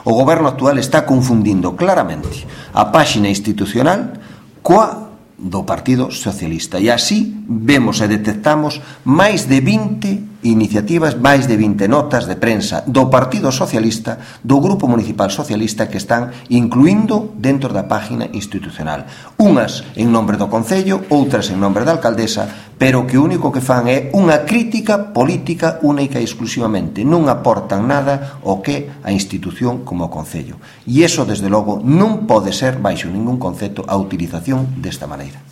O goberno actual está confundindo claramente a páxina institucional coa do Partido Socialista, e así vemos e detectamos máis de 20 iniciativas, máis de 20 notas de prensa do Partido Socialista, do Grupo Municipal Socialista, que están incluindo dentro da página institucional, unhas en nombre do Concello, outras en nombre da alcaldesa, pero que o único que fan é unha crítica política única e exclusivamente, non aportan nada ao que a institución como o Concello, e iso desde logo non pode ser baixo ningún concepto a utilización desta maneira.